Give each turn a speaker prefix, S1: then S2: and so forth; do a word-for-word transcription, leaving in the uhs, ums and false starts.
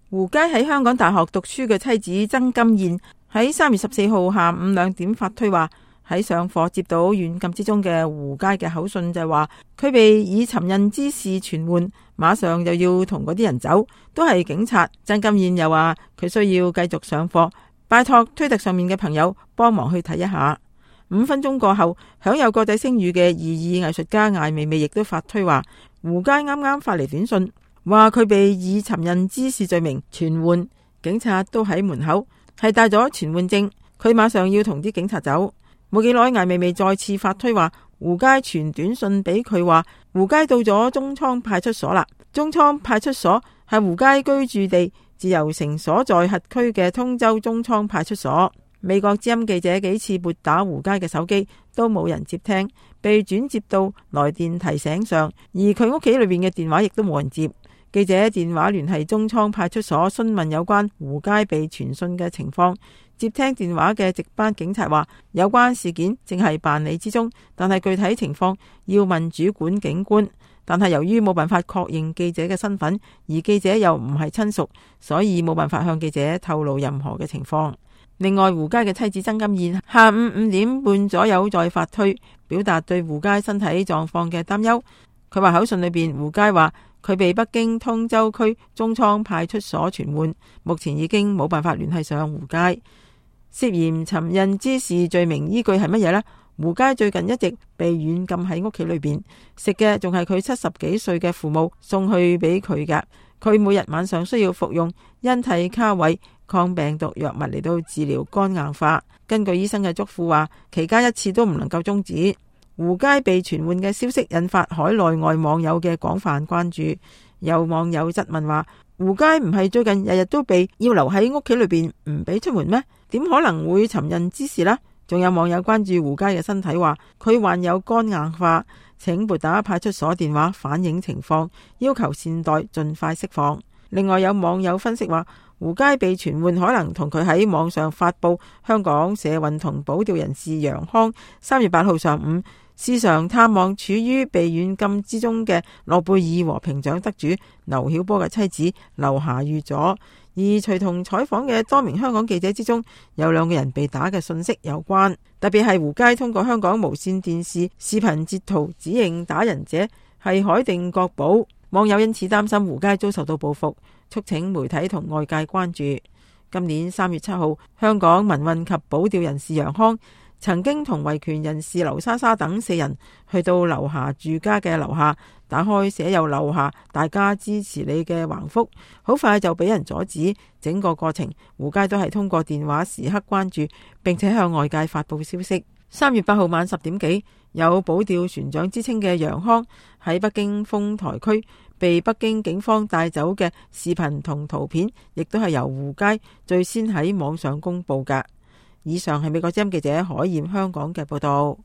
S1: 胡佳喺香港大學讀書嘅妻子曾金燕喺三月十四號下午兩點發推話，喺上課接到軟禁之中嘅胡佳嘅口信，就係話佢被以尋釁滋事傳喚，馬上就要同嗰啲人走，都係警察。曾金燕又話佢需要繼續上課，拜託推特上面嘅朋友幫忙去睇一下。五分鐘過後，享有國際聲譽嘅異議藝術家艾未未亦都發推話，胡佳啱啱發嚟短信，話佢被以尋釁滋事罪名傳喚，警察都喺門口，係帶咗傳喚證，佢馬上要同啲警察走。冇幾耐，艾未未再次發推話，胡佳傳短信俾佢話，胡佳到咗中倉派出所啦。中倉派出所係胡佳居住地自由城所在轄區嘅通州中倉派出所。美國之音記者幾次撥打胡佳嘅手機都冇人接聽，被轉接到來電提醒上，而佢屋企裏邊嘅電話亦都冇人接。記者電話聯繫中倉派出所詢問有關胡佳被傳訊嘅情況，接聽電話嘅值班警察話有關事件正係辦理之中，但係具體情況要問主管警官。但係由於冇辦法確認記者嘅身份，而記者又唔係親屬，所以冇辦法向記者透露任何嘅情況。另外，胡佳嘅妻子曾金燕下午五點半左右再發推，表達對胡佳身體狀況嘅擔憂。佢話口信裏邊，胡佳話佢被北京通州區中倉派出所傳喚，目前已經冇辦法聯繫上胡佳。涉嫌尋釁滋事罪名依據係乜嘢呢？胡佳最近一直被軟禁喺屋企裏邊，食嘅仲係佢七十幾歲嘅父母送去俾佢㗎。佢每日晚上需要服用恩替卡韋抗病毒藥物嚟到治療肝硬化。根據醫生嘅囑咐話，期間一次都唔能夠終止。胡佳被傳喚嘅消息引發海內外網友嘅廣泛關注。有網友質問話，胡佳唔係最近日日都被要留喺屋企裏邊唔俾出門咩？點可能會尋釁滋事呢？仲有網友關注胡佳嘅身體，話佢患有肝硬化，請撥打派出所電話反映情況，要求善待盡快釋放。另外有網友分析話，胡佳被傳喚可能同佢喺網上發布香港社運同保釣人士楊康三月八號上午時常探望處於被軟禁之中嘅諾貝爾和平獎得主劉曉波嘅妻子劉霞遇咗。而隨同採訪嘅多名香港記者之中，有兩個人被打嘅信息有關，特別係胡佳通過香港無線電視視頻截圖指認打人者係海定國寶，網友因此擔心胡佳遭受到報復，促請媒體同外界關注。今年三月七號，香港民運及保釣人士楊康曾經同維權人士劉莎莎等四人去到劉霞住家嘅樓下，打開寫有劉霞大家支持你嘅橫幅，好快就俾人阻止。整個過程胡佳都係通過電話時刻關注，並且向外界發布消息。三月八號晚十點幾，有保釣船長之稱嘅楊康喺北京豐台區被北京警方帶走嘅視頻同圖片，亦都係由胡佳最先喺網上公布㗎。以上係美國之音記者海燕香港嘅報道。